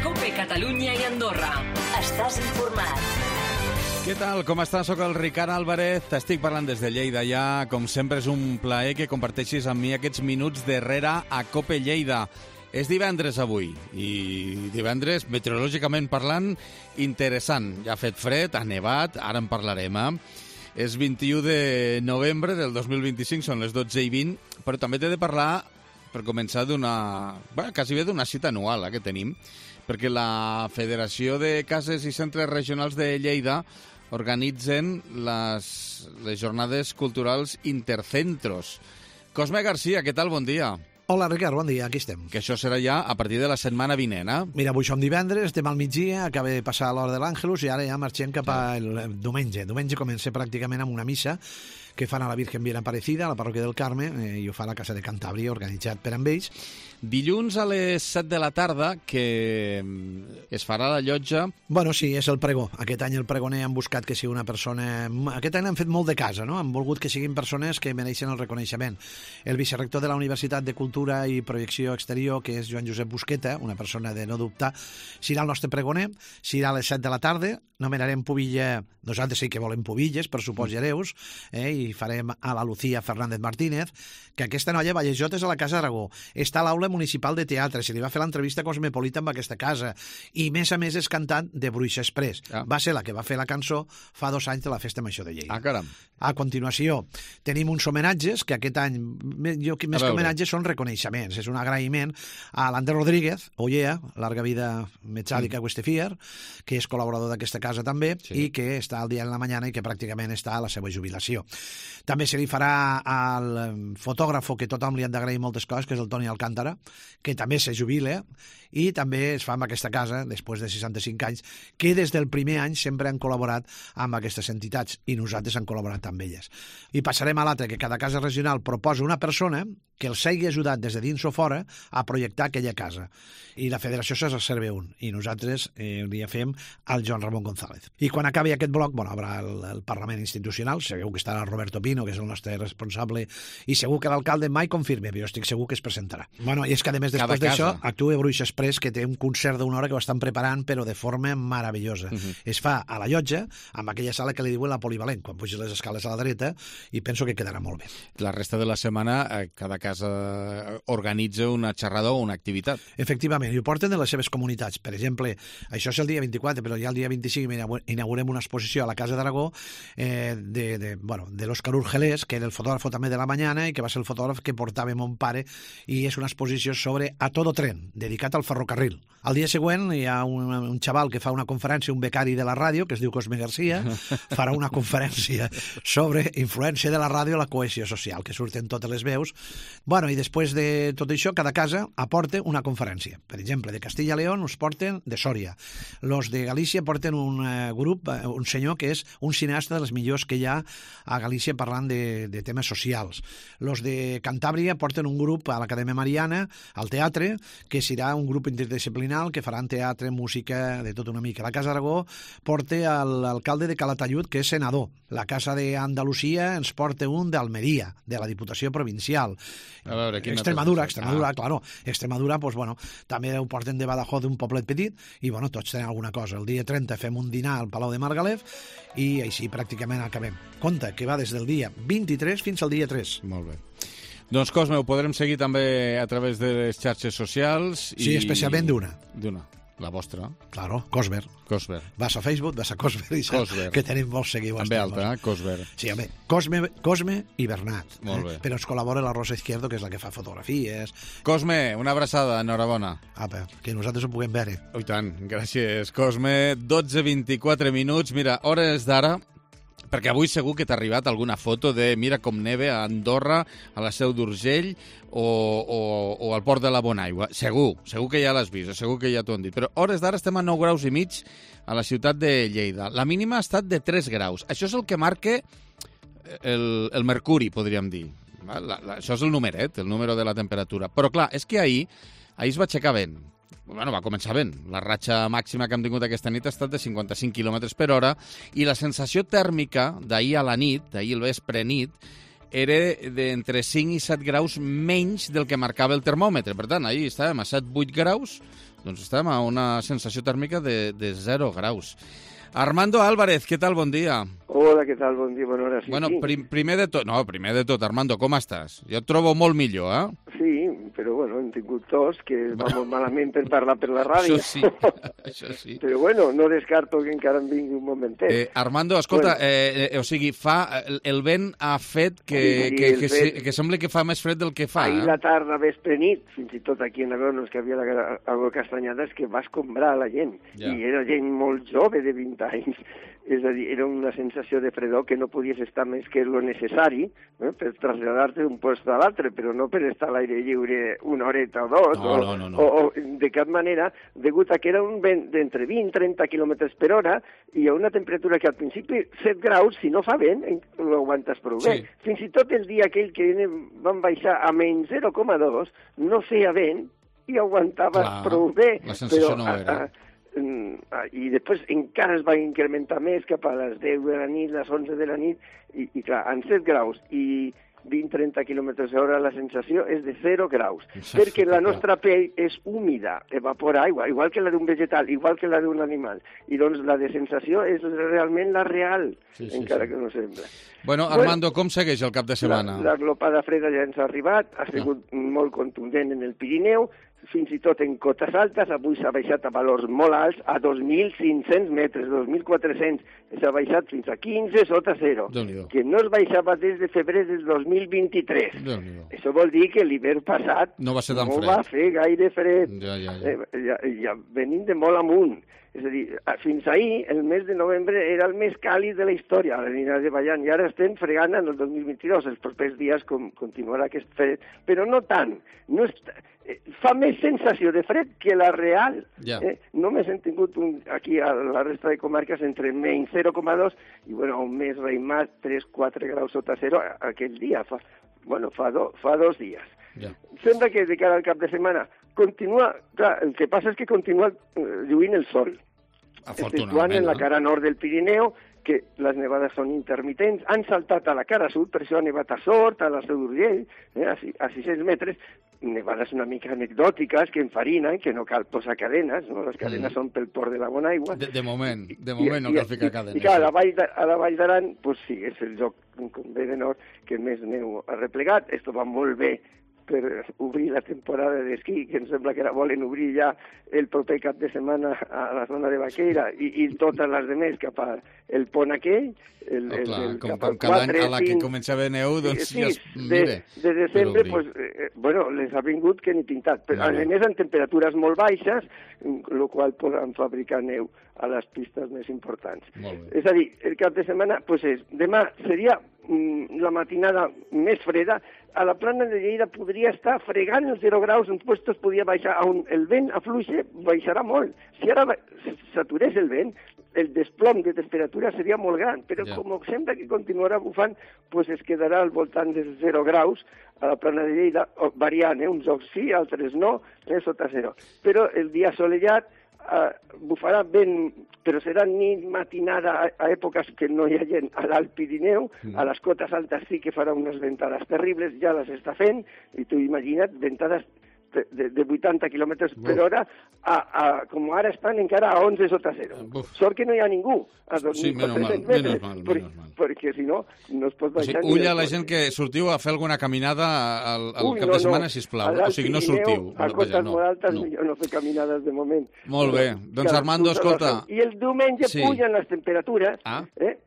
COPE Catalunya i Andorra. Estàs informat. Què tal? Com estàs? Soc el Ricard Álvarez. T'estic parlant des de Lleida ja. Com sempre és un plaer que comparteixis amb mi aquests minuts darrere a COPE Lleida. És divendres avui i divendres, meteorològicament parlant, interessant. Ja ha fet fred, ha nevat, ara en parlarem, És 21 de novembre del 2025, són les 12:20, però també t'he de parlar, per començar, quasi bé d'una cita anual que tenim, perquè la Federació de Cases i Centres Regionals de Lleida organitzen les jornades culturals Intercentros. Cosme Garcia, què tal? Bon dia. Hola, Ricard, bon dia, aquí estem. Que això serà ja a partir de la setmana vinent, Mira, avui som divendres, estem al migdia, acaba de passar l'hora de l'Àngelus i ara ja marxem cap al diumenge. Diumenge comença pràcticament amb una missa que fan a la Virgen Bien Aparecida, a la parròquia del Carme, i ho fa a la Casa de Cantàbria, organitzat per amb ells. Dilluns a les 7 de la tarda, que es farà la llotja... Bueno, sí, és el pregó. Aquest any el pregoner han buscat que sigui una persona... Aquest any han fet molt de casa, no? Han volgut que siguin persones que mereixen el reconeixement. El vicerector de la Universitat de Cultura i Projecció Exterior, que és Joan Josep Busqueta, una persona de no dubtar, serà el nostre pregoner, serà a les 7 de la tarda, nomenarem pubilla... Nosaltres sí que volem pubilles, per supòs hereus, i farem a la Lucía Fernández Martínez, que aquesta noia Vallejotes a la Casa Aragó. Està a l'Aula Municipal de Teatre, se li va fer l'entrevista cosmopolita amb aquesta casa, i més a més és cantant de Bruixa Express. Va ser la que va fer la cançó fa 2 anys de la Festa Major de Lleida. Caram. A continuació, tenim uns homenatges, que aquest any, més que homenatges, són reconeixements. És un agraïment a l'Ander Rodríguez, Ollea, larga vida metàl·lica Westefier, que és col·laborador d'aquesta casa també, i que està al dia en la mañana i que pràcticament està a la seva jubilació. També se li farà al fotògrafo, que tothom li han d'agrair moltes coses, que és el Toni Alcántara, que també se jubila, i també es fa amb aquesta casa, després de 65 anys, que des del primer any sempre han col·laborat amb aquestes entitats, i nosaltres han col·laborat amb elles. I passarem a l'altre, que cada casa regional proposa una persona que els hagi ajudat des de dins o fora a projectar aquella casa. I la federació se reserva un, i nosaltres li fem al Joan Ramon González. I quan acabi aquest bloc, haurà el Parlament Institucional, segur que estarà Roberto Pino, que és el nostre responsable, i segur que l'alcalde mai confirme, però jo estic segur que es presentarà. Bueno, i és que a més després d'això actua Bruixa Express, que té un concert d'una hora que ho estan preparant, però de forma meravellosa. Es fa a la llotja, amb aquella sala que li diuen la polivalent, quan puges les escales a la dreta, i penso que quedarà molt bé. La resta de la setmana, cada casa organitza una xerrada o una activitat. Efectivament, i ho porten de les seves comunitats. Per exemple, això és el dia 24, però ja el dia 25 inaugurem una exposició a la Casa d'Aragó de l'Òscar Urgelés, que era el fotògraf també de la Mañana i que va ser el fotògraf que portava mon pare, i és una exposició sobre A Todo Tren, dedicat al ferrocarril. Al dia següent hi ha un xaval que fa una conferència, un becari de la ràdio, que es diu Cosme Garcia, farà una conferència sobre influència de la ràdio a la cohesió social, que surten totes les veus. Bueno, i després de tot això, cada casa aporta una conferència. Per exemple, de Castilla y León us porten de Sòria. Los de Galícia porten un grup, un senyor que és un cineasta de les millors que hi ha a Galícia parlant de temes socials. Los de Cantàbria porten un grup a l'Acadèmia Mariana, al teatre, que serà un grup interdisciplinal que faran teatre, música, de tot una mica. La Casa Aragó porta l'alcalde de Calatayud, que és senador. La Casa d'Andalusia ens porta un d'Almeria, de la Diputació Provincial. A veure, Extremadura, claro. Extremadura, pues, bueno, també ho porten de Badajoz, d'un poblet petit, i bueno, tots tenen alguna cosa. El dia 30 fem un dinar al Palau de Margalef i així pràcticament acabem. Compte que va des del dia 23 fins al dia 3. Molt bé. Doncs, Cosme, ho podrem seguir també a través de les xarxes socials. Sí, especialment d'una. La vostra. Claro, Cosber. Vas a Facebook, vas a Cosber i saps que tenim molts seguidors. També alta, Cosber. Sí, home, Cosme i Bernat. Molt bé. Però ens col·labora la Rosa Izquierdo, que és la que fa fotografies. Cosme, una abraçada, enhorabona. Apa, que nosaltres ho puguem veure. Oh, i tant, gràcies, Cosme. 12:24 minuts, mira, hores d'ara, perquè avui segur que t'ha arribat alguna foto de mira com neve a Andorra, a la Seu d'Urgell o al Port de la Bonaigua. Segur que ja l'has vist, segur que ja t'ho han dit. Però hores d'ara estem a 9 graus i mig a la ciutat de Lleida. La mínima ha estat de 3 graus. Això és el que marca el mercuri, podríem dir. Això és el numeret, el número de la temperatura. Però clar, és que ahir es va aixecar vent. Bueno, va començar vent. La ratxa màxima que hem tingut aquesta nit ha estat de 55 km per hora i la sensació tèrmica d'ahir a la nit, d'ahir al vespre nit, era d'entre 5 i 7 graus menys del que marcava el termòmetre. Per tant, ahir estàvem a 7-8 graus, Doncs estem a una sensació tèrmica de 0 graus. Armando Álvarez, què tal? Bon dia. Hola, què tal? Bon dia, bona hora. Sí, bueno, primer de tot, Armando, com estàs? Jo et trobo molt millor, eh? Sí, però bueno, hem tingut tos, que va molt malament per parlar per la ràdio. Això sí. Però bueno, no descarto que encara em vingui un momentet. Armando, escolta, o sigui, el vent ha fet que sembla que fa més fred del que fa. Ahir la tarda, vespre nit, fins i tot aquí en Agronos, que havia algo castanyades, que va escombrar la gent. Ja. I era gent molt jove, de 20 anys. És a dir, era una sensació de fredor que no podies estar més que lo necessari per traslladar-te d'un lloc a l'altre, però no per estar a l'aire lliure una horeta o dos, o de cap manera, degut a que era un vent d'entre 20 i 30 km per hora i a una temperatura que al principi 7 graus, si no fa vent, ho aguantes prou bé. Fins i tot el dia aquell que van baixar a menys 0,2, no feia vent i aguantaves prou bé. La sensació no era. I després encara es va incrementar més cap a les 10 de la nit, les 11 de la nit, i clar, en 7 graus i 20-30 km/h la sensació és de 0 graus, perquè la nostra pell és húmida, evapora aigua, igual que la d'un vegetal, igual que la d'un animal, i doncs la de sensació és realment la real, encara que no sembla. Bueno, Armando, com segueix el cap de setmana? La glopada freda ja ens ha arribat, ha sigut molt contundent en el Pirineu, fins i tot en cotes altes, avui s'ha baixat a valors molt alts, a 2.500 metres, 2.400, s'ha baixat fins a 15 sota 0, que no es baixava des de febrer del 2023. Això vol dir que l'hivern passat no va ser tan fred. No va fer gaire fred. Ja. Venim de molt amunt. És a dir, fins ahir, el mes de novembre era el més càlid de la història, a la línia de Ballant, i ara estem fregant en el 2022. Els propers dies continuarà aquest fred, però no tant. No fa més sensació de fred que la real. Només hem tingut aquí a la resta de comarques entre menys 0,2 i un més reimat 3-4 graus sota 0 aquell dia, fa 2 dies. Sembla que de cara al cap de setmana continua, clar, el que passa és que continua lluint el sol. Exceptuant en la cara nord del Pirineu, que les nevades són intermitents, han saltat a la cara sud, per això ha nevat a Sort, a la Seu d'Urgell, a 600 metres, nevades una mica anecdòtiques que enfarinen, que no cal posar cadenes, no? Les cadenes són pel port de la bona aigua. De moment no cal ficar cadenes. I clar, a la Vall d'Aran, sí, és el lloc, com bé de nord, que més neu ha replegat. Esto va molt bé per obrir la temporada d'esquí, que em sembla que la volen obrir ja el proper cap de setmana a la zona de Baqueira i totes les demés cap al pont aquell. Com cada any a la que comença a haver neu, doncs ja es mire. De desembre, les ha vingut que ni pintat. Però a més en temperatures molt baixes, el qual poden fabricar neu a les pistes més importants. És a dir, el cap de setmana, demà seria la matinada més freda. A la plana de Lleida podria estar fregant els 0 graus, en puestos podria baixar, on el vent afluixa, baixarà molt. Si ara s'aturés el vent, el desplom de temperatura seria molt gran, però com sembla que continuarà bufant, es quedarà al voltant dels 0 graus a la plana de Lleida, variant, uns jocs sí, altres no, sota 0. Però el dia assolellat bufarà vent, però serà nit matinada a èpoques que no hi ha gent a l'Alt Pirineu, a les cotes altes sí que farà unes ventades terribles, ja les està fent, i tu imagina't, ventades de 80 km per hora, com ara estan encara a 11 sota 0. Sort que no hi ha ningú a 2.400 metres, perquè si no, no es pot baixar. Ull a la gent que sortiu a fer alguna caminada al cap de setmana, sisplau. O sigui, no sortiu. A cotes molt altes millor no fer caminades de moment. Molt bé. Doncs Armando, escolta... I el diumenge pugen les temperatures,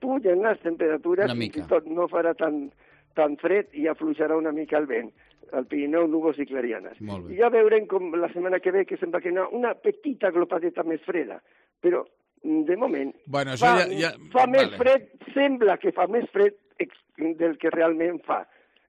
pugen les temperatures, fins i tot no farà tan fred i afluixarà una mica el vent. Al Pirineu, núvols i clarianes. I ja veurem com la setmana que ve, que sembla que una petita glopadeta més freda, però de moment fa més fred, sembla que fa més fred del que realment fa,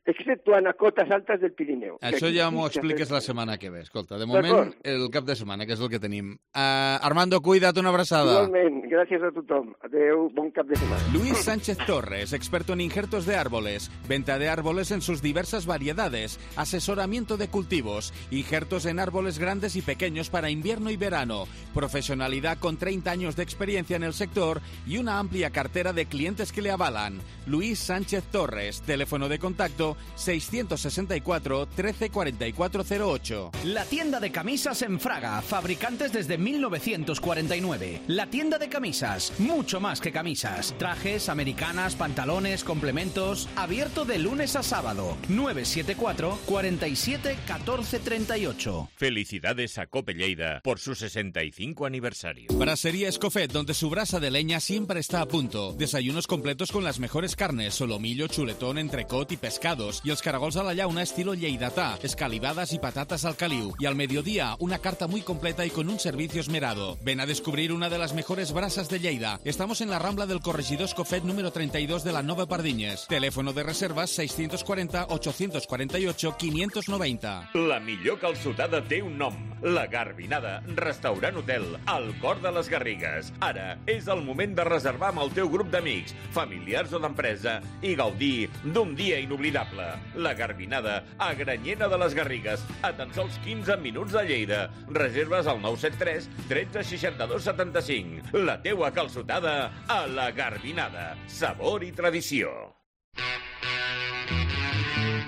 exceptuant a cotes altes del Pirineu. Això ja m'ho expliques la setmana que ve. Escolta, de moment, el cap de setmana, que és el que tenim. Armando, cuida't, una abraçada. Igualment, gràcies a tothom. Adeu, bon cap de semana. Luis Sánchez Torres, experto en injertos de árboles, venta de árboles en sus diversas variedades, asesoramiento de cultivos, injertos en árboles grandes y pequeños para invierno y verano, profesionalidad con 30 años de experiencia en el sector y una amplia cartera de clientes que le avalan. Luis Sánchez Torres, teléfono de contacto 664 13 4408. La tienda de camisas en Fraga, fabricantes desde 1949. La tienda de camisas, mucho más que camisas. Trajes, americanas, pantalones, complementos. Abierto de lunes a sábado. 974 47 14 38. Felicidades a Cope Lleida por su 65 aniversario. Brasería Escofet, donde su brasa de leña siempre está a punto. Desayunos completos con las mejores carnes, solomillo, chuletón, entrecot y pescados. Y els caragols a la llauna estilo lleidatà, escalivadas y patatas al caliu. Y al mediodía, una carta muy completa y con un servicio esmerado. Ven a descubrir una de las mejores brasas de Lleida. Estamos en la Rambla del Corregidor Escofet número 32 de la Nova Pardinyes. Teléfono de reservas 640 848 590. La millor calçotada té un nom. La Garbinada, restaurant hotel, al cor de les Garrigues. Ara és el moment de reservar amb el teu grup d'amics, familiars o d'empresa i gaudir d'un dia inoblidable. La Garbinada, a Granyena de les Garrigues, a tan sols 15 minuts de Lleida. Reserves al 973 13 62 75. La teua calçotada a la Garbinada. Sabor i tradició.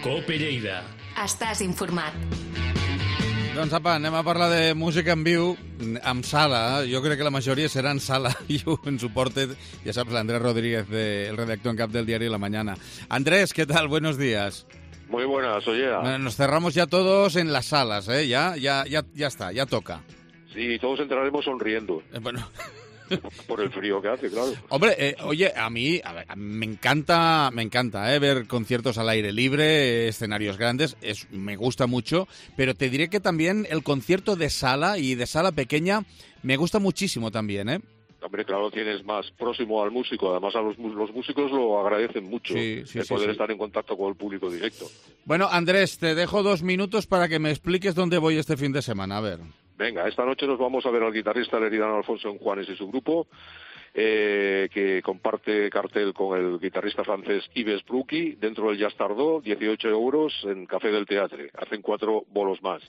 Cope Lleida. Estàs informat. Doncs apa, anem a parlar de música en viu amb sala. Jo crec que la majoria serà en sala i ens ho porta, ja saps, l'Andrés Rodríguez, el redactor en cap del diari La Mañana. Andrés, ¿qué tal? Buenos días. Muy buenas, oye. Bueno, nos cerramos ya todos en las salas, ¿eh? Ya está, ya toca. Sí, todos entraremos sonriendo. Bueno... Por el frío que hace, claro. Hombre, oye, a mí me encanta ver conciertos al aire libre, escenarios grandes, me gusta mucho, pero te diré que también el concierto de sala y de sala pequeña me gusta muchísimo también, ¿eh? Hombre, claro, tienes más próximo al músico. Además, a los músicos lo agradecen mucho, poder estar en contacto con el público directo. Bueno, Andrés, te dejo 2 minutos para que me expliques dónde voy este fin de semana, a ver. Venga, esta noche nos vamos a ver al guitarrista leridano Alfonso Juanes y su grupo, que comparte cartel con el guitarrista francés Yves Brucky, dentro del Jazz Tardó, 18 euros en Café del Teatre. Hacen 4 bolos más.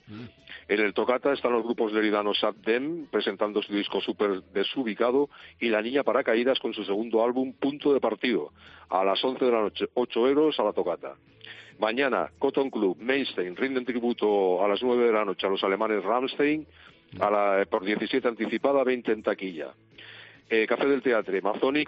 En el Tocata están los grupos leridanos Sat Dem, presentando su disco Súper Desubicado, y La Niña Paracaídas con su segundo álbum Punto de Partido, a las 11 de la noche, 8 euros a la Tocata. Mañana, Cotton Club, Mainstein, rinden tributo a las 9 de la noche a los alemanes Rammstein, por 17 anticipada, 20 en taquilla. Café del Teatre, Mazzoni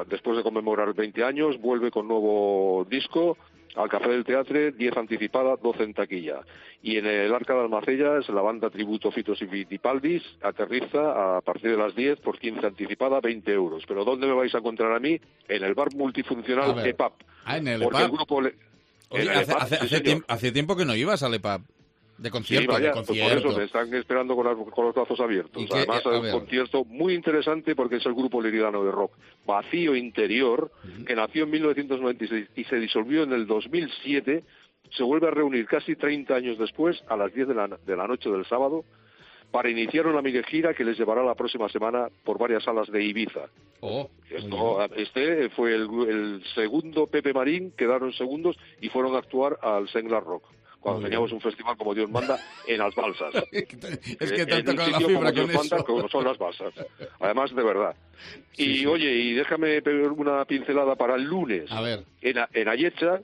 después de conmemorar 20 años, vuelve con nuevo disco al Café del Teatre, 10 anticipada, 12 en taquilla. Y en el Arca de Almacellas, la banda tributo Fitos y Vitipaldis aterriza a partir de las 10 por 15 anticipada, 20 euros. ¿Pero dónde me vais a encontrar a mí? En el bar multifuncional EPAP. Ah, en el porque EPAP. El grupo Oye, hace tiempo que no ibas al EPAP. De concierto, sí, vaya, de concierto. Pues por eso me están esperando con los brazos abiertos. Además, es un concierto muy interesante porque es el grupo leridano de rock Vacío Interior, que nació en 1996 y se disolvió en el 2007. Se vuelve a reunir casi 30 años después, a las 10 de la noche del sábado, para iniciar una mini gira que les llevará la próxima semana por varias salas de Ibiza. Este fue el segundo Pepe Marín, quedaron segundos y fueron a actuar al Senglar Rock, cuando teníamos un festival como Dios manda en las balsas. Es que te han tocado la fibra con eso. Manda, como son las balsas. Además, de verdad. Oye, y déjame pedir una pincelada para el lunes. A ver. En Ayetxa,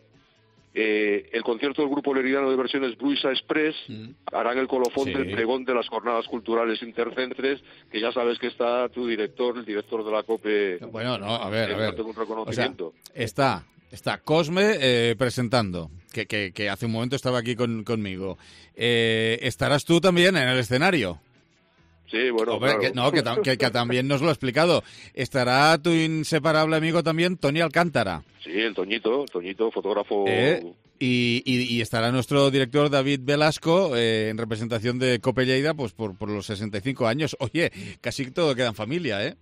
el concierto del grupo leridano de versiones Bruisa Express harán el colofón del pregón de las jornadas culturales intercentres, que ya sabes que está tu director, el director de la COPE. Bueno, no, a ver. Un reconocimiento. O sea, está Cosme presentando, que hace un momento estaba aquí conmigo. ¿Estarás tú también en el escenario? Sí, bueno, hombre, claro. que también nos lo ha explicado. ¿Estará tu inseparable amigo también, Toni Alcántara? Sí, el Toñito, fotógrafo. Y estará nuestro director David Velasco en representación de Cope Lleida, pues por los 65 años. Oye, casi todo queda en familia, ¿eh?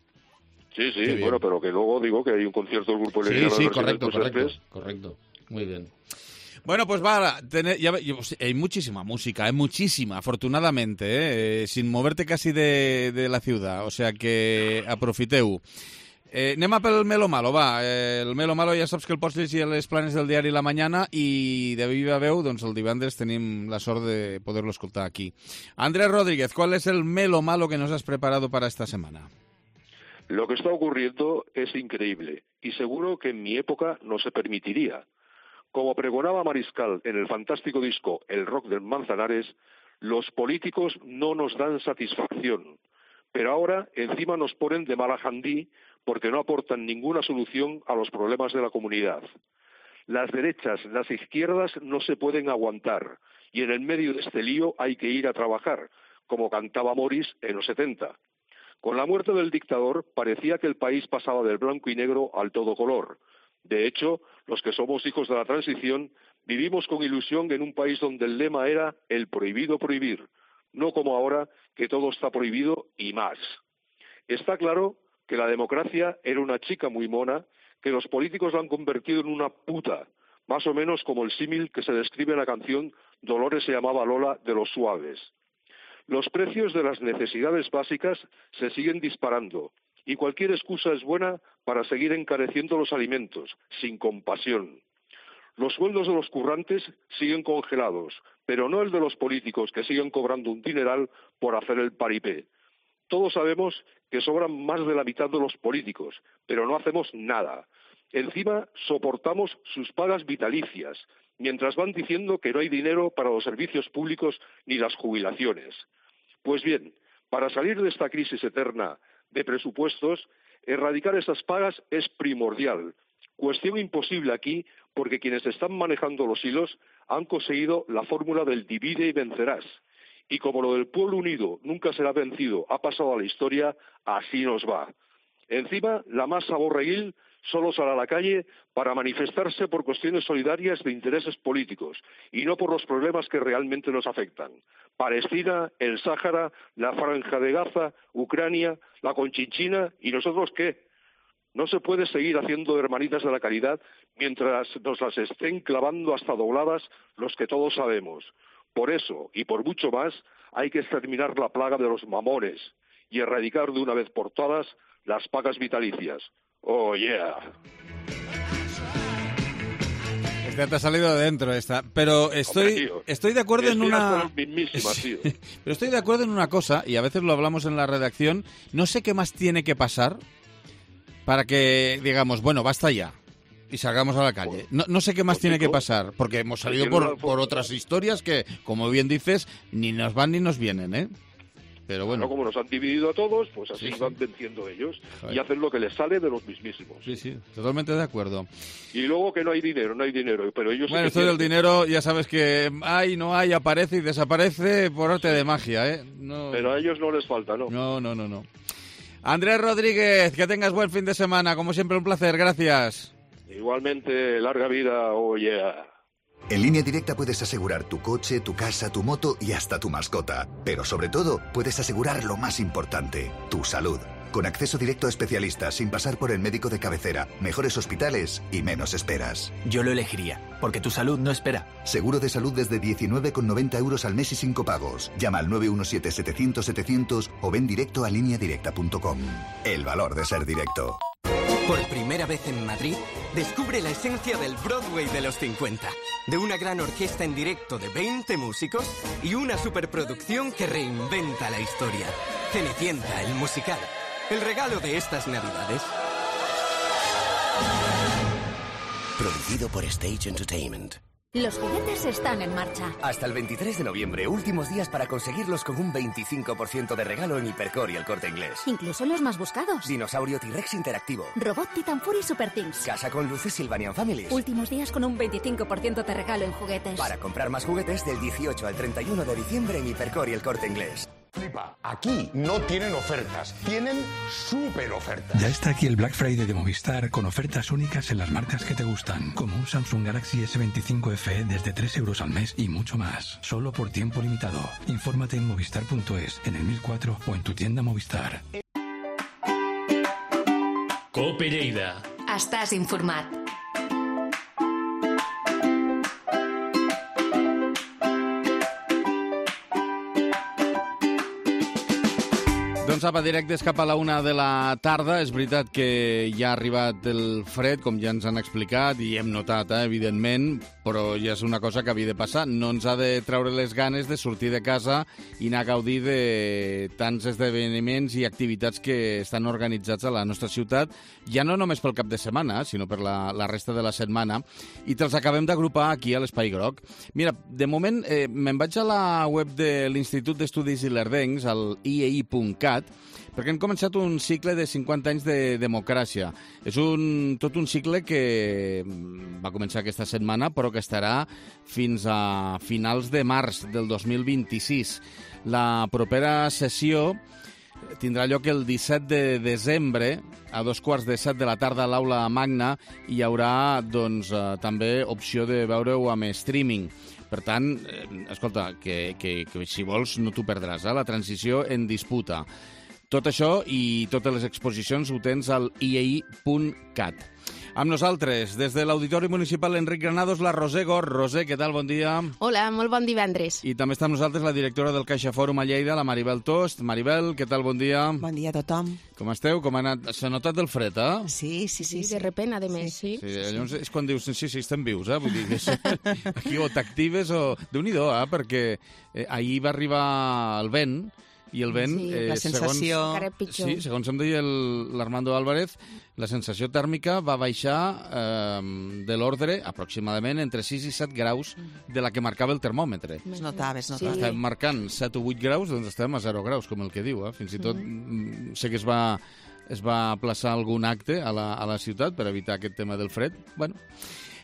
Sí, bueno, pero que luego digo que hay un concierto del grupo leridano de versiones correcto. Muy bien. Bueno, pues va, hay muchísima música, afortunadamente, sin moverte casi de la ciudad, o sea que aprofiteu. Anem a pel Melo Malo, va. El Melo Malo ja saps que el pots llegir a les planes del diari La Mañana i de viva veu, doncs el divendres tenim la sort de poder-lo escoltar aquí. Andrés Rodríguez, ¿cuál es el Melo Malo que nos has preparado para esta semana? Lo que está ocurriendo es increíble y seguro que en mi época no se permitiría. Como pregonaba Mariscal en el fantástico disco El rock del Manzanares, los políticos no nos dan satisfacción, pero ahora encima nos ponen de mala jandí porque no aportan ninguna solución a los problemas de la comunidad. Las derechas, las izquierdas no se pueden aguantar y en el medio de este lío hay que ir a trabajar, como cantaba Morris en los 70. Con la muerte del dictador parecía que el país pasaba del blanco y negro al todo color. De hecho, los que somos hijos de la transición vivimos con ilusión en un país donde el lema era el prohibido prohibir, no como ahora que todo está prohibido y más. Está claro que la democracia era una chica muy mona, que los políticos la han convertido en una puta, más o menos como el símil que se describe en la canción Dolores se llamaba Lola de Los Suaves. Los precios de las necesidades básicas se siguen disparando y cualquier excusa es buena para seguir encareciendo los alimentos, sin compasión. Los sueldos de los currantes siguen congelados, pero no el de los políticos que siguen cobrando un dineral por hacer el paripé. Todos sabemos que sobran más de la mitad de los políticos, pero no hacemos nada. Encima soportamos sus pagas vitalicias, mientras van diciendo que no hay dinero para los servicios públicos ni las jubilaciones. Pues bien, para salir de esta crisis eterna de presupuestos, erradicar esas pagas es primordial. Cuestión imposible aquí porque quienes están manejando los hilos han conseguido la fórmula del divide y vencerás. Y como lo del pueblo unido nunca será vencido, ha pasado a la historia, así nos va. Encima, la masa borreguil solo sale a la calle para manifestarse por cuestiones solidarias de intereses políticos y no por los problemas que realmente nos afectan. Palestina, el Sáhara, la Franja de Gaza, Ucrania, la Conchinchina, ¿y nosotros qué? No se puede seguir haciendo hermanitas de la caridad mientras nos las estén clavando hasta dobladas los que todos sabemos. Por eso, y por mucho más, hay que exterminar la plaga de los mamones y erradicar de una vez por todas las pagas vitalicias. ¡Oh, yeah! Esta te ha salido de dentro, esta. Pero estoy de acuerdo en una... Tío. Pero estoy de acuerdo en una cosa, y a veces lo hablamos en la redacción, no sé qué más tiene que pasar para que digamos, bueno, basta ya, y salgamos a la calle. No sé qué más tiene que pasar, porque hemos salido por otras historias que, como bien dices, ni nos van ni nos vienen, ¿eh? Pero bueno. Como nos han dividido a todos, pues así van venciendo ellos. Joder. Y hacen lo que les sale de los mismísimos. Sí, totalmente de acuerdo. Y luego que no hay dinero, pero ellos... Bueno, esto del dinero, ya sabes que hay, no hay, aparece y desaparece por arte de magia, ¿eh? No... Pero a ellos no les falta, ¿no? No. Andrés Rodríguez, que tengas buen fin de semana. Como siempre, un placer. Gracias. Igualmente, larga vida. Oh, yeah. En Línea Directa puedes asegurar tu coche, tu casa, tu moto y hasta tu mascota. Pero sobre todo, puedes asegurar lo más importante, tu salud. Con acceso directo a especialistas, sin pasar por el médico de cabecera, mejores hospitales y menos esperas. Yo lo elegiría, porque tu salud no espera. Seguro de salud desde 19,90 € al mes y sin copagos. Llama al 917-700-700 o ven directo a lineadirecta.com. El valor de ser directo. Por primera vez en Madrid, descubre la esencia del Broadway de los 50. De una gran orquesta en directo de 20 músicos y una superproducción que reinventa la historia. Cenicienta, el musical. El regalo de estas Navidades. Producido por Stage Entertainment. Los juguetes están en marcha. Hasta el 23 de noviembre, últimos días para conseguirlos con un 25% de regalo en Hipercore y El Corte Inglés. Incluso los más buscados. Dinosaurio T-Rex interactivo. Robot Titan Fury Super Things. Casa con luces Sylvanian Families. Últimos días con un 25% de regalo en juguetes. Para comprar más juguetes del 18 al 31 de diciembre en Hipercore y El Corte Inglés. Flipa, aquí no tienen ofertas, tienen súper ofertas. Ya está aquí el Black Friday de Movistar con ofertas únicas en las marcas que te gustan, como un Samsung Galaxy S25 FE desde 3 € al mes y mucho más, solo por tiempo limitado. Infórmate en movistar.es, en el 1004 o en tu tienda Movistar. Cope Lleida. Estàs informat. Doncs apa, directes cap a la 1 de la tarda. És veritat que ja ha arribat el fred, com ja ens han explicat, i hem notat, evidentment, però ja és una cosa que havia de passar. No ens ha de treure les ganes de sortir de casa i anar a gaudir de tants esdeveniments i activitats que estan organitzats a la nostra ciutat, ja no només pel cap de setmana, sinó per la resta de la setmana, i te'ls acabem d'agrupar aquí a l'Espai Groc. Mira, de moment me'n vaig a la web de l'Institut d'Estudis Ilerdencs, al iei.cat, perquè hem començat un cicle de 50 anys de democràcia. És tot un cicle que va començar aquesta setmana, però que estarà fins a finals de març del 2026. La propera sessió tindrà lloc el 17 de desembre, a 2:15 de la tarda a l'Aula Magna, i hi haurà doncs, també opció de veure-ho amb streaming. Per tant, escolta, que si vols no t'ho perdràs, la transició en disputa. Tot això i totes les exposicions ho tens al iei.cat. Amb nosaltres, des de l'Auditori Municipal Enric Granados, la Roser Gor. Roser, què tal? Bon dia. Hola, molt bon divendres. I també està amb nosaltres la directora del CaixaForum a Lleida, la Maribel Tost. Maribel, què tal? Bon dia. Bon dia a tothom. Com esteu? Com ha anat? S'ha notat el fred, eh? Sí. De repent, a més, sí. Llavors és quan dius, sí, estem vius, Vull dir que aquí o t'actives o... Déu-n'hi-do, perquè ahir va arribar el vent, i el vent, la sensació... segons em deia l'Armando Álvarez, la sensació tèrmica va baixar de l'ordre aproximadament entre 6 i 7 graus de la que marcava el termòmetre. Es notava. Estem marcant 7 o 8 graus, doncs estem a 0 graus, com el que diu. Fins i tot sé que es va aplaçar algun acte a la ciutat per evitar aquest tema del fred. Bueno,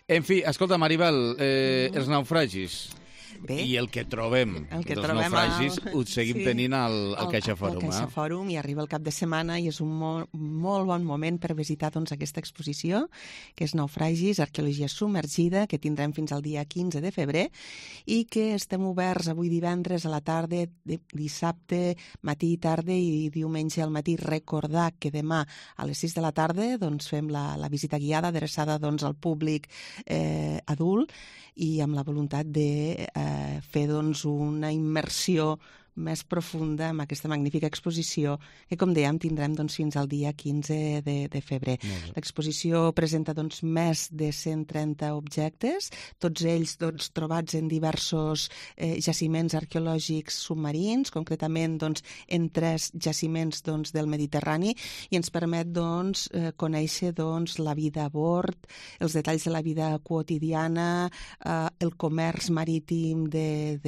en fi, escolta, Maribel, els naufragis... Bé, i el que trobem dels naufragis ho seguim tenint al CaixaForum. Al CaixaForum, i arriba el cap de setmana i és un molt bon moment per visitar aquesta exposició, que és Naufragis, Arqueologia Submergida, que tindrem fins al dia 15 de febrer, i que estem oberts avui divendres a la tarda, dissabte, matí i tarda, i diumenge al matí. Recordar que demà a les 6 de la tarda fem la visita guiada adreçada al públic adult, i amb la voluntat de fer una immersió més profunda amb aquesta magnífica exposició que, com dèiem, tindrem fins al dia 15 de febrer. L'exposició presenta més de 130 objectes, tots ells trobats en diversos jaciments arqueològics submarins, concretament en 3 jaciments del Mediterrani, i ens permet conèixer la vida a bord, els detalls de la vida quotidiana, el comerç marítim de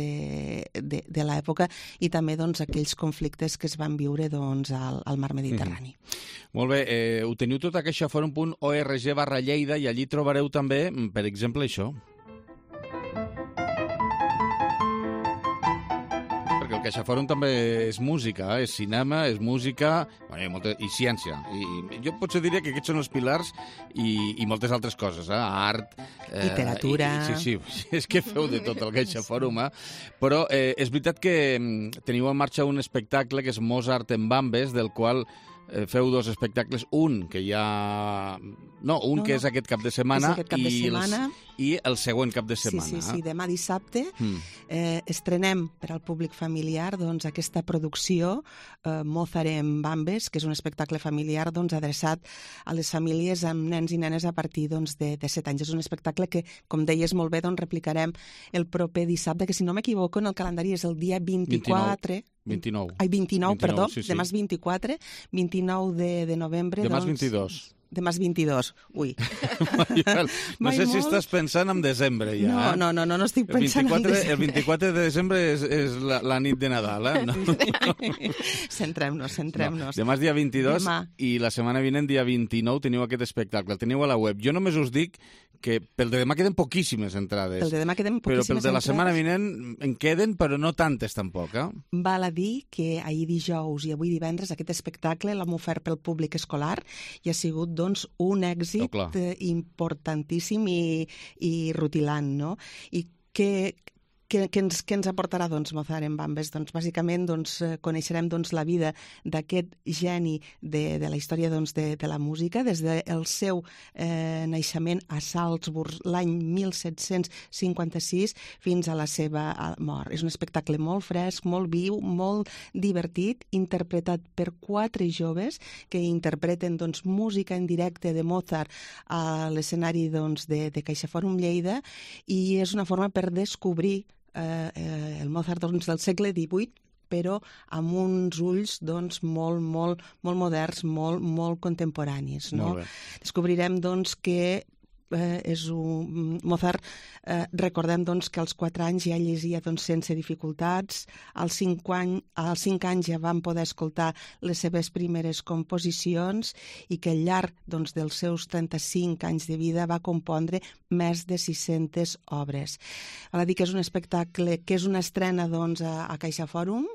l'època, i també aquells conflictes que es van viure al mar Mediterrani. Molt bé, ho teniu tot a caixaforum.org/Lleida, i allí trobareu també, per exemple, això. Perquè el CaixaForum també és música, és cinema, és música i ciència. I jo potser diria que aquests són els pilars i moltes altres coses, art... literatura... Sí, és que feu de tot el CaixaForum, però és veritat que teniu en marxa un espectacle que és Mozart en Bambes, del qual feu 2 espectacles, un que ja... que és aquest cap de setmana, i el següent cap de setmana. Sí, demà dissabte estrenem per al públic familiar aquesta producció Mozart en Bambes, que és un espectacle familiar adreçat a les famílies amb nens i nenes a partir de 7 anys. És un espectacle que, com deies molt bé, replicarem el proper dissabte, que si no m'equivoco en el calendari és el dia 29. 29. Ai, 29, perdó. Sí. Demà és 24, 29 de novembre. Demà és 22. Demà és 22. Ui. No sé si estàs pensant en desembre ja. No estic pensant en desembre. El 24 de desembre és la nit de Nadal, Centrem-nos. Demà és dia 22 i la setmana vinent, dia 29, teniu aquest espectacle. El teniu a la web. Jo només us dic que pel de demà queden poquíssimes entrades. Però pel de la setmana vinent en queden, però no tantes tampoc. Val a dir que ahir dijous i avui divendres aquest espectacle l'hem ofert pel públic escolar i ha sigut un èxit importantíssim i rutilant, no? I que Què ens aportarà Mozart en Bambes? Bàsicament coneixerem la vida d'aquest geni de la història de la música, des del seu naixement a Salzburg l'any 1756 fins a la seva mort. És un espectacle molt fresc, molt viu, molt divertit, interpretat per 4 joves que interpreten música en directe de Mozart a l'escenari de CaixaForum Lleida, i és una forma per descobrir el Mozart del segle XVIII, però amb uns ulls molt moderns, molt contemporanis. Descobrirem que és un Mozart, recordem que als 4 anys ja llegia sense dificultats, als 5 anys ja vam poder escoltar les seves primeres composicions, i que al llarg dels seus 35 anys de vida va compondre més de 600 obres. Val a dir que és un espectacle, que és una estrena a CaixaForum,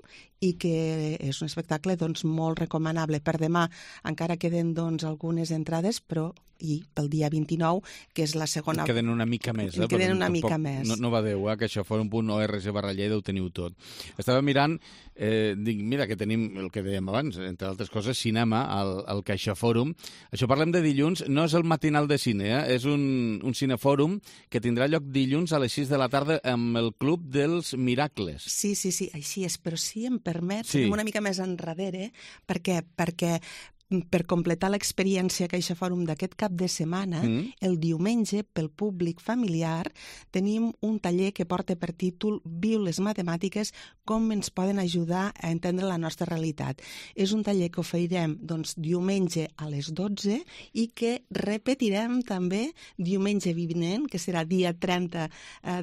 i que és un espectacle molt recomanable. Per demà encara queden algunes entrades, però i pel dia 29, que és la segona... Queden una mica més. Queden una mica més. No badeu, que això CaixaForum.org/Lleida ho teniu tot. Estava mirant, dic, mira, que tenim el que dèiem abans, entre altres coses, cinema al CaixaForum. Això parlem de dilluns, no és el matinal de cine, és un cinefòrum que tindrà lloc dilluns a les 6 de la tarda amb el Club dels Miracles. Sí, així és, però si em permet, anem una mica més enrere, perquè per completar l'experiència CaixaForum d'aquest cap de setmana, el diumenge, pel públic familiar, tenim un taller que porta per títol Viu les matemàtiques, com ens poden ajudar a entendre la nostra realitat. És un taller que oferirem diumenge a les 12 i que repetirem també diumenge vinent, que serà dia 30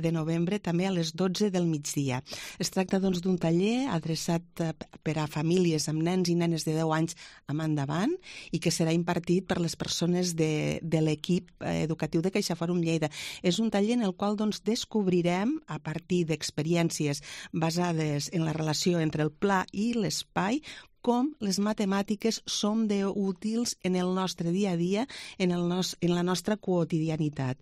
de novembre, també a les 12 del migdia. Es tracta d'un taller adreçat per a famílies amb nens i nenes de 10 anys en endavant, i que serà impartit per les persones de l'equip educatiu de CaixaForum Lleida. És un taller en el qual descobrirem, a partir d'experiències basades en la relació entre el pla i l'espai, com les matemàtiques són útils en el nostre dia a dia, en la nostra quotidianitat.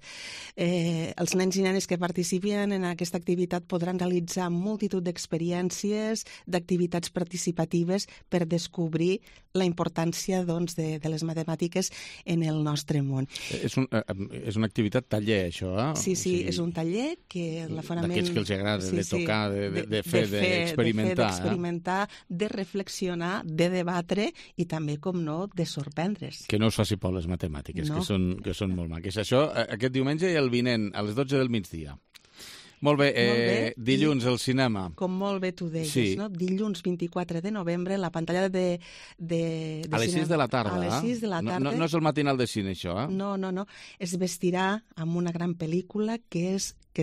Els nens i nenes que participen en aquesta activitat podran realitzar multitud d'experiències, d'activitats participatives per descobrir la importància de les matemàtiques en el nostre món. És una activitat taller, això, eh? Sí, és un taller que l'aforament... D'aquells que els agrada, de tocar, de fer, d'experimentar, de reflexionar, de debatre i també, com no, de sorprendre's. Que no us faci por les matemàtiques, no. que són molt maques. Això aquest diumenge i el vinent, a les 12 del migdia. Molt bé, dilluns al cinema. Com molt bé tu deies, no? Dilluns 24 de novembre, la pantalla de a les 6 de la tarda. A les 6 de la tarda. No és el matinal de cine, això, eh? No. Es vestirà amb una gran pel·lícula que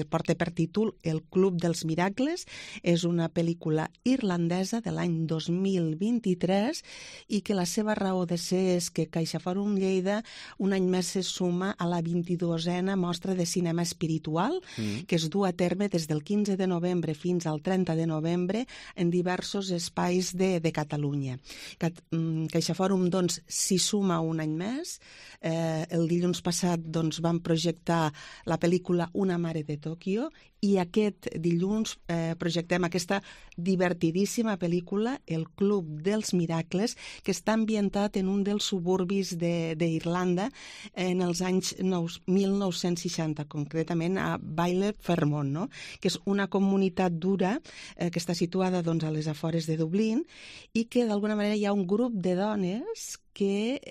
porta per títol El Club dels Miracles. És una pel·lícula irlandesa de l'any 2023 i que la seva raó de ser és que CaixaForum Lleida un any més se suma a la 22a mostra de cinema espiritual que es du a terme des del 15 de novembre fins al 30 de novembre en diversos espais de Catalunya. CaixaForum, s'hi suma un any més. El dilluns passat vam projectar la pel·lícula Una mare de Tòquio i aquest dilluns projectem aquesta divertidíssima pel·lícula El Club dels Miracles, que està ambientat en un dels suburbis d'Irlanda en els anys 1960, concretament a Bailey Fairmont, no? Que és una comunitat dura que està situada a les afores de Dublín i que d'alguna manera hi ha un grup de dones que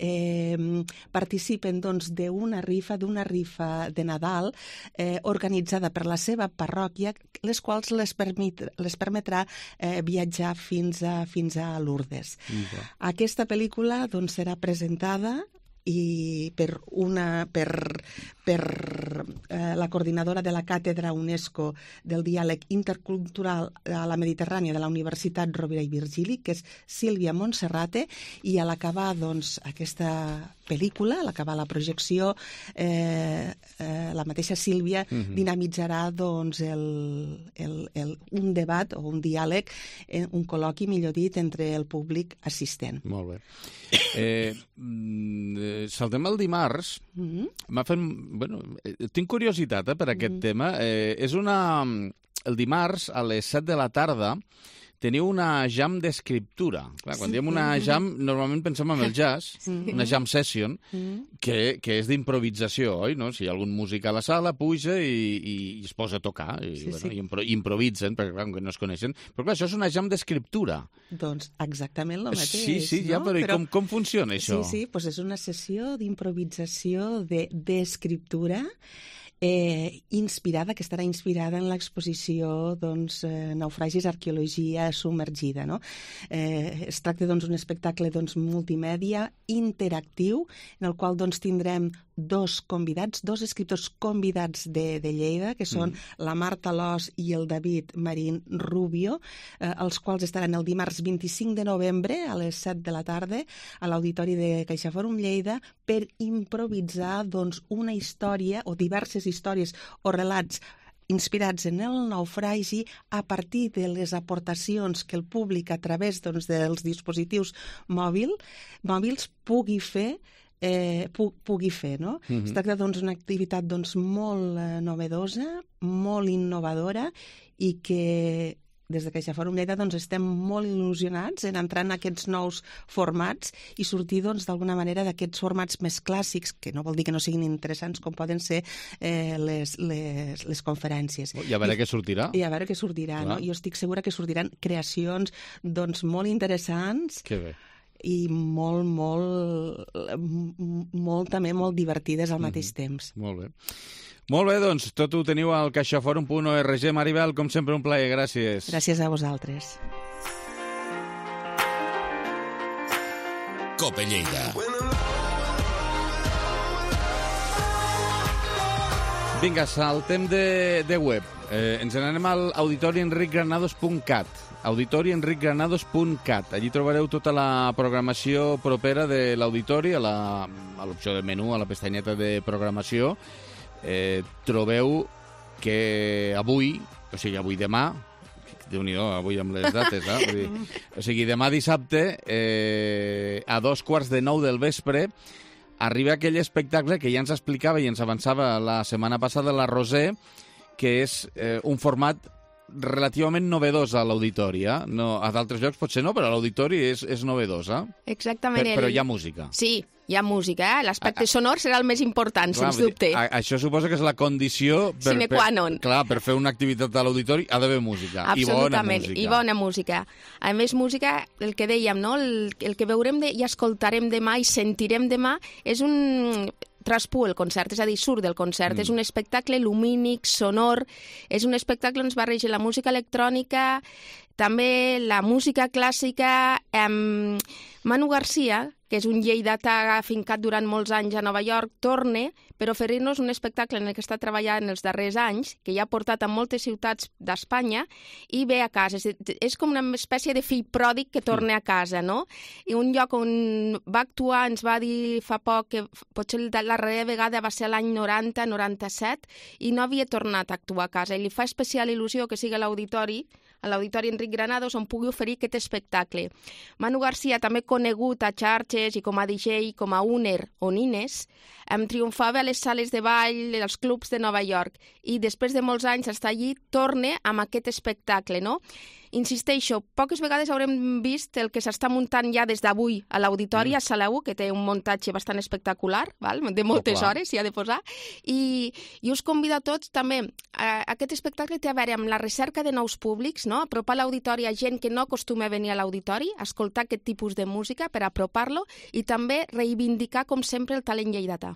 participen d'una rifa de Nadal organitzada per la seva parròquia, les quals les permetrà viatjar fins a Lourdes. Aquesta pel·lícula serà presentada i per la coordinadora de la Càtedra UNESCO del Diàleg Intercultural a la Mediterrània de la Universitat Rovira i Virgili, que és Sílvia Montserrate, i a l'acabar aquesta pel·lícula, a l'acabar la projecció, la mateixa Sílvia dinamitzarà un debat o un diàleg, un col·loqui, millor dit, entre el públic assistent. Molt bé. Saltem el dimarts. Tinc curiositat per aquest tema. És una el dimarts a les 7 de la tarda teniu una jam d'escriptura. Quan diem una jam, normalment pensem en el jazz, una jam session, que és d'improvisació, oi? No? Si hi ha algun músic a la sala, puja i es posa a tocar, i improvisen, perquè clar, que no es coneixen. Però clar, això és una jam d'escriptura. Doncs exactament el mateix. Sí, ja, però com funciona això? Sí, doncs és una sessió d'improvisació d'escriptura inspirada, que estarà inspirada en l'exposició Naufragis, arqueologia submergida. No? Es tracta d'un espectacle multimèdia interactiu en el qual tindrem dos escriptors convidats de Lleida, que són la Marta Lós i el David Marín Rubio, els quals estaran el dimarts 25 de novembre a les 7 de la tarda a l'Auditori de CaixaForum Lleida per improvisar una història o diverses històries o relats inspirats en el naufragi a partir de les aportacions que el públic a través dels dispositius mòbils pugui fer, no? Es tracta d'una activitat molt novedosa, molt innovadora i que des de CaixaForum Lleida estem molt il·lusionats en entrar en aquests nous formats i sortir d'alguna manera d'aquests formats més clàssics, que no vol dir que no siguin interessants com poden ser les conferències. I a veure què sortirà. I a veure què sortirà, no? Jo estic segura que sortiran creacions molt interessants. Que bé. I també molt divertides al mateix temps. Molt bé. Molt bé, doncs, tot ho teniu al caixaforum.org. Maribel, com sempre, un plaer. Gràcies. Gràcies a vosaltres. Cope Lleida. Vinga, saltem de web. Ens n'anem al auditorienricgranados.cat. auditorienricgranados.cat. Allí trobareu tota la programació propera de l'auditori, a l'opció de menú, a la pestanyeta de programació. Trobeu que avui demà, Déu-n'hi-do, avui amb les dates, o sigui, demà dissabte, a 8:45 del vespre, arriba aquell espectacle que ja ens explicava i ens avançava la setmana passada la Roser, que és un format relativament novedós a l'auditori. No, a d'altres llocs potser no, però a l'auditori és novedosa. Exactament. Però hi ha música. Sí, hi ha música. L'aspecte sonor serà el més important, sens dubte. Això suposa que és la condició sine qua non. Clar, per fer una activitat a l'auditori ha d'haver música. Absolutament, i bona música. A més, música, el que dèiem, no? El que veurem i escoltarem demà i sentirem demà és un traspú el concert, és a dir, surt del concert. És un espectacle lumínic, sonor, és un espectacle on es barreja la música electrònica, també la música clàssica. Manu Garcia, que és un lleidatà afincat durant molts anys a Nova York, torna per oferir-nos un espectacle en el que està treballant els darrers anys, que ja ha portat a moltes ciutats d'Espanya, i ve a casa. És com una espècie de fill pròdig que torna a casa, no? I un lloc on va actuar, ens va dir fa poc, que potser la darrera vegada va ser l'any 90-97, i no havia tornat a actuar a casa. I li fa especial il·lusió que sigui a l'auditori Enric Granados, on pugui oferir aquest espectacle. Manu Garcia, també conegut a xarxes i com a DJ, com a Uner o Nines, triomfava a les sales de ball, als clubs de Nova York, i després de molts anys està allí, torna amb aquest espectacle, no? Insisteixo, poques vegades haurem vist el que s'està muntant ja des d'avui a l'auditori, a Sala 1, que té un muntatge bastant espectacular, de moltes hores, s'hi ha de posar, i us convido a tots també. Aquest espectacle té a veure amb la recerca de nous públics, no? Apropar l'auditori a gent que no acostuma a venir a l'auditori, escoltar aquest tipus de música per apropar-lo i també reivindicar, com sempre, el talent lleidatà.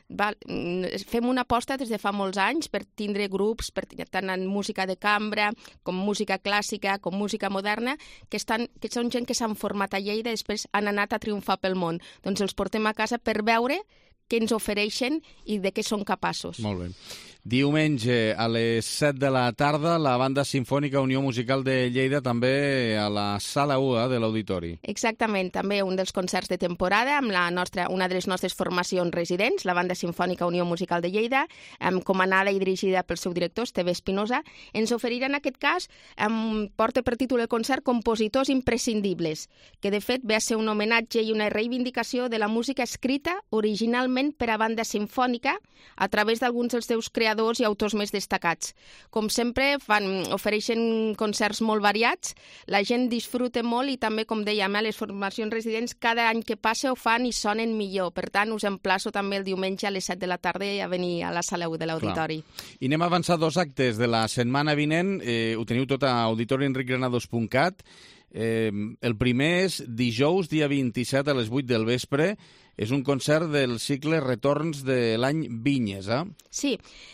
Fem una aposta des de fa molts anys per tindre grups, tant en música de cambra, com música clàssica, com música moderna, que són gent que s'han format a Lleida i després han anat a triomfar pel món. Doncs els portem a casa per veure què ens ofereixen i de què són capaços. Molt bé. Diumenge a les 7 de la tarda, la Banda Simfònica Unió Musical de Lleida, també a la Sala 1 de l'Auditori. Exactament, també un dels concerts de temporada amb una de les nostres formacions residents, la Banda Simfònica Unió Musical de Lleida, comandada i dirigida pel seu director, Esteve Espinosa. Ens oferirà en aquest cas, porta per títol el concert Compositors imprescindibles, que de fet ve a ser un homenatge i una reivindicació de la música escrita originalment per a banda simfònica a través d'alguns dels seus creadors creadors i autors més destacats. Com sempre, ofereixen concerts molt variats, la gent disfruta molt i també, com dèiem, les formacions residents cada any que passa ho fan i sonen millor. Per tant, us emplaço també el diumenge a les 7 de la tarda a venir a la sala 1 de l'auditori. I anem a avançar 2 actes de la setmana vinent. Ho teniu tot a auditorienricgranados.cat. El primer és dijous, dia 27, a les 8 del vespre. És un concert del cicle Retorns de l'any Vinyes, eh? Sí,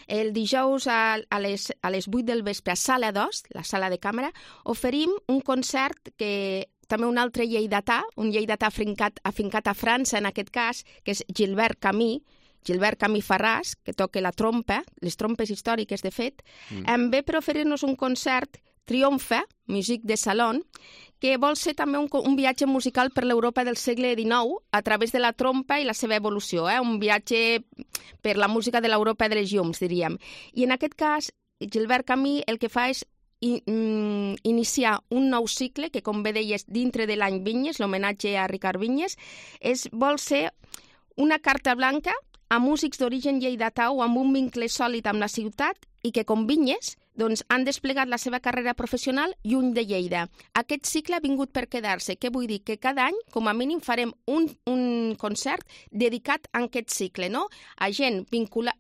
el dijous a les 8 del vespre a Sala 2, la sala de càmera, oferim un concert que també un altre lleidatà, un lleidatà afincat a França, en aquest cas, que és Gilbert Camí Farràs, que toca la trompa, les trompes històriques, de fet, ve per oferir-nos un concert Triomfe, music de salon, que vol ser també un viatge musical per l'Europa del segle XIX a través de la trompa i la seva evolució, un viatge per la música de l'Europa de les llums, diríem. I en aquest cas, Gilbert Camí el que fa és iniciar un nou cicle que, com bé deies, dintre de l'any Vinyes, l'homenatge a Ricard Vinyes, vol ser una carta blanca a músics d'origen lleidatà o amb un vincle sòlid amb la ciutat i que, com Vinyes, han desplegat la seva carrera professional lluny de Lleida. Aquest cicle ha vingut per quedar-se. Què vull dir? Que cada any, com a mínim, farem un concert dedicat a aquest cicle, no? A gent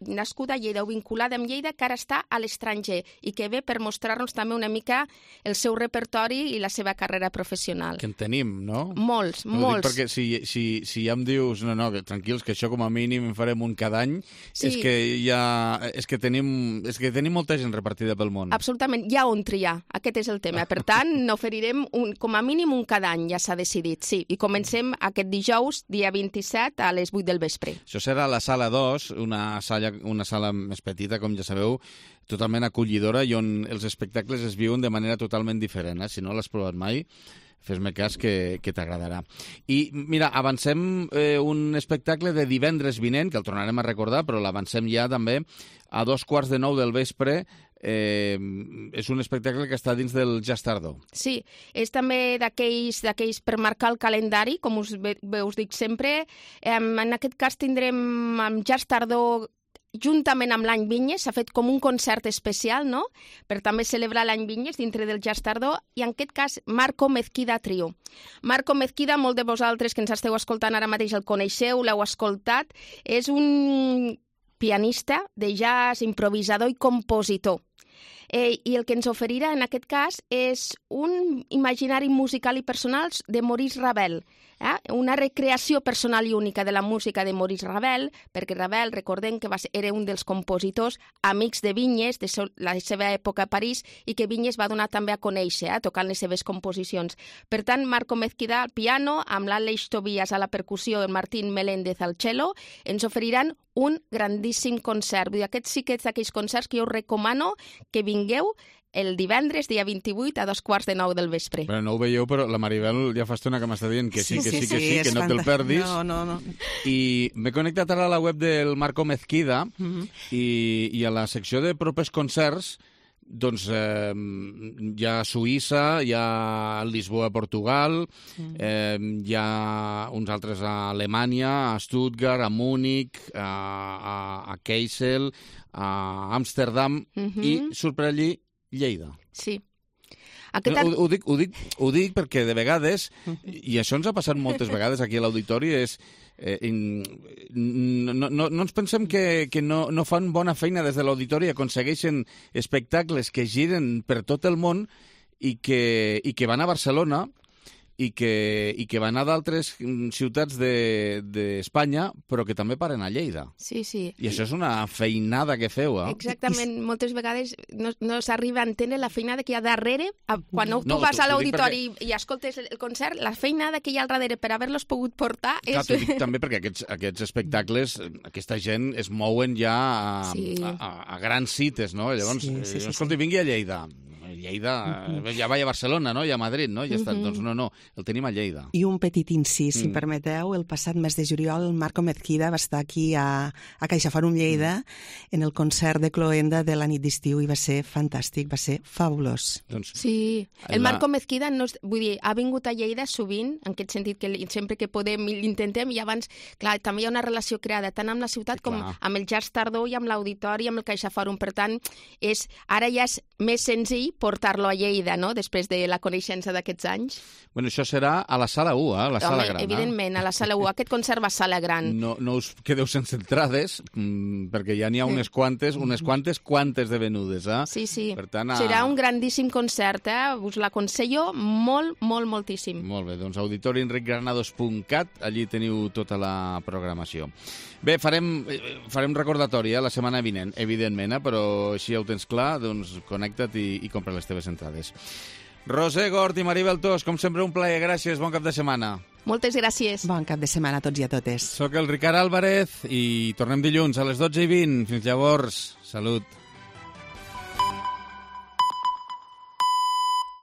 nascuda a Lleida o vinculada amb Lleida que ara està a l'estranger i que ve per mostrar-nos també una mica el seu repertori i la seva carrera professional. Que en tenim, no? Molts. Perquè si ja em dius, no, tranquils, que això com a mínim en farem un cada any, sí. és que tenim molta gent repartida pel món. Absolutament, hi ha on triar. Aquest és el tema. Per tant, n'oferirem com a mínim un cada any, ja s'ha decidit, sí. I comencem aquest dijous, dia 27, a les 8 del vespre. Això serà a la sala 2, una sala més petita, com ja sabeu, totalment acollidora i on els espectacles es viuen de manera totalment diferent. Si no l'has provat mai, fes-me cas que t'agradarà. I mira, avancem un espectacle de divendres vinent, que el tornarem a recordar, però l'avancem ja també a 2:15 del vespre. És un espectacle que està dins del Jazz Tardó. Sí, és també d'aquells per marcar el calendari, com us dic sempre. En aquest cas tindrem amb Jazz Tardó juntament amb l'any Vinyes, s'ha fet com un concert especial, no?, per també celebrar l'any Vinyes dintre del Jazz Tardó, i en aquest cas Marco Mezquida Trio. Marco Mezquida, molt de vosaltres que ens esteu escoltant ara mateix el coneixeu, l'heu escoltat, és un pianista de jazz, improvisador i compositor. I el que ens oferirà en aquest cas és un imaginari musical i personal de Maurice Ravel, una recreació personal i única de la música de Maurice Ravel, perquè Ravel, recordem que era un dels compositors amics de Vinyes, de la seva època a París, i que Vinyes va donar també a conèixer, tocant les seves composicions. Per tant, Marco Mezquida al piano, amb l'Àlex Tobias a la percussió i el Martín Meléndez al cello, ens oferiran un grandíssim concert. Vull dir, aquests sí que és d'aquells concerts que jo us recomano que vingueu el divendres, dia 28, a 2:15 del vespre. Però no ho veieu, però la Maribel ja fa estona que m'està dient que sí, que no te'l perdis. No. I m'he connectat ara a la web del Marco Mezquida i a la secció de propers concerts doncs hi ha Suïssa, hi ha Lisboa, Portugal, hi ha uns altres a Alemanya, a Stuttgart, a Múnich, a Kassel, a Amsterdam i surt per allí Lleida. Sí. Ho dic perquè de vegades, i això ens ha passat moltes vegades aquí a l'auditori, és no ens pensem que no fan bona feina des de l'auditori, aconsegueixen espectacles que giren per tot el món i que van a Barcelona i que van a d'altres ciutats d'Espanya, però que també paren a Lleida. Sí. I això és una feinada que feu, eh? Exactament. Moltes vegades no s'arriba a entendre la feinada que hi ha darrere. Quan tu vas a l'auditori i escoltes el concert, la feinada que hi ha al darrere per haver-los pogut portar és... Clar, t'ho dic també perquè aquests espectacles, aquesta gent es mouen ja a grans cites, no? Llavors, escolta, vingui a Lleida. Lleida, ja va a Barcelona, no? I a Madrid, no? Ja està. Doncs no, el tenim a Lleida. I un petit incís, si em permeteu, el passat mes de juliol el Marco Mezquida va estar aquí a CaixaForum Lleida en el concert de Cloenda de la nit d'estiu i va ser fantàstic, va ser fabulós. Sí, el Marco Mezquida vull dir, ha vingut a Lleida sovint, en aquest sentit que sempre que podem l'intentem, i abans, clar, també hi ha una relació creada tant amb la ciutat com amb el Jazz Tardor i amb l'Auditori i amb el CaixaForum. Per tant, ara ja és més senzill portar-lo a Lleida, no?, després de la coneixença d'aquests anys. Bueno, això serà a la Sala 1, a la Sala Gran. Evidentment, a la Sala 1. Aquest concert va a Sala Gran. No us quedeu sense entrades, perquè ja n'hi ha unes quantes de venudes, eh? Sí. Per tant, serà un grandíssim concert, us l'aconsello moltíssim. Molt bé, doncs auditorienricgranados.cat, allí teniu tota la programació. Bé, farem recordatori la setmana vinent, evidentment, però si ja ho tens clar, doncs connecta't i compra les teves entrades. Roser Gort i Maribel Tos, com sempre un plaer, gràcies, bon cap de setmana. Moltes gràcies. Bon cap de setmana a tots i a totes. Soc el Ricard Álvarez i tornem dilluns a les 12:20. Fins llavors, salut.